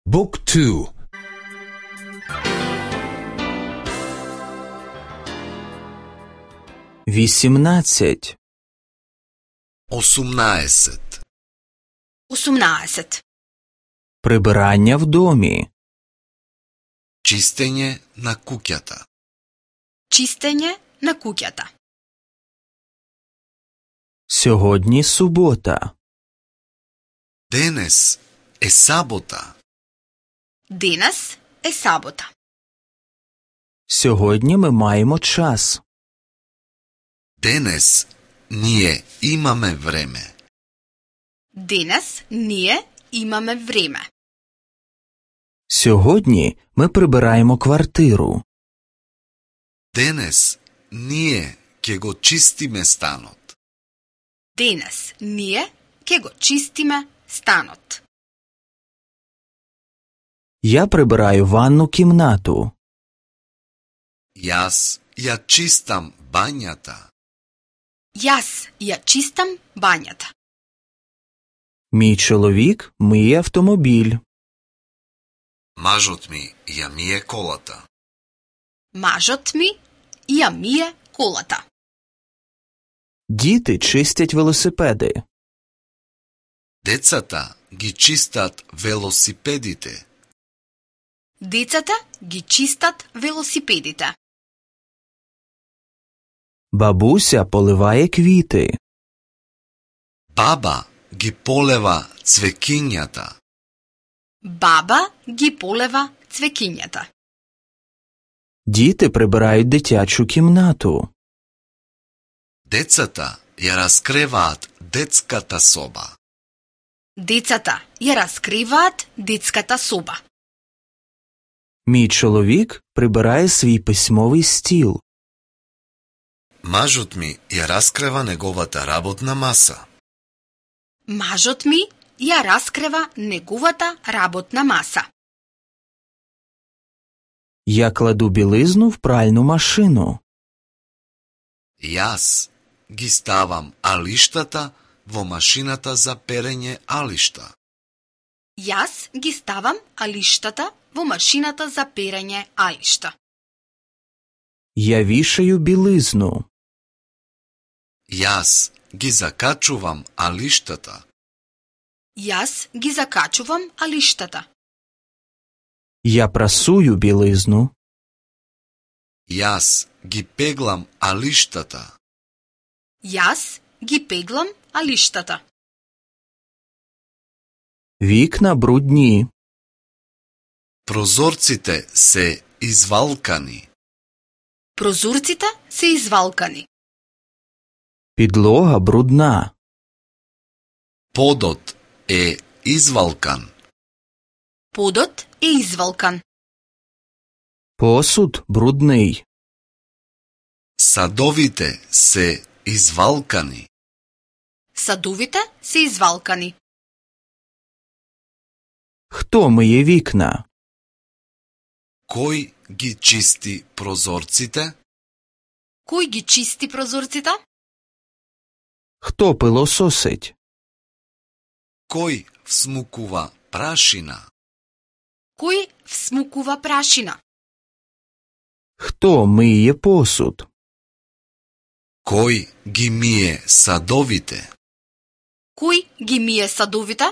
Book 2. 18. 18. 18. Прибирання в домі. Чистење на куќата. Чистење на куќата. Сьогодні субота. Денес е сабота. Денес е сабота. Сьогодні ми маємо час. Денес ние имаме време. Денес ние имаме време. Сьогодні ми прибираємо квартиру. Денес ние ќе го чистиме станот. Денес ние ќе го чистиме станот. Я прибираю ванну кімнату. Јас ја чистам бањата. Јас ја чистам бањата. Мій чоловік миє автомобіль. Мажот ми ја мие колата. Мажот ми ја мие колата. Діти чистять велосипеди. Децата ги чистат велосипедите. Децата ги чистат велосипедите. Бабуся поливає квіти. Баба ги полева цвекињата. Баба ги полева цвекињата. Діти прибирають дитячу кімнату. Децата ја раскреваат детската соба. Децата ја раскриваат детската соба. Мій чоловік прибирає свій письмовий стіл. Мажот ми ја раскрева неговата работна маса. Мажот ми ја раскрева неговата работна маса. Я кладу білизну в пральну машину. Јас ги ставам алиштата во машината за перење алишта. Јас ги ставам алиштата во машината за перење алишта. Я вішаю білизну. Јас ги закачувам алиштата. Јас ги закачувам алиштата. Я прасую білизну. Јас ги пеглам алиштата. Јас ги пеглам алиштата. Вікна брудні. Прозорците се извалкани. Прозорците се извалкани. Підлога брудна. Подот е извалкан. Подот е извалкан. Посуд брудний. Садовите се извалкани. Садовите се извалкани. Хто миє вікна? Кој ги чисти прозорците? Кој ги чисти прозорците? Хто пилососить? Кој всмукува прашина? Кој всмукува прашина? Хто миє посуд? Кој ги мие садовите? Кој ги мие садовите?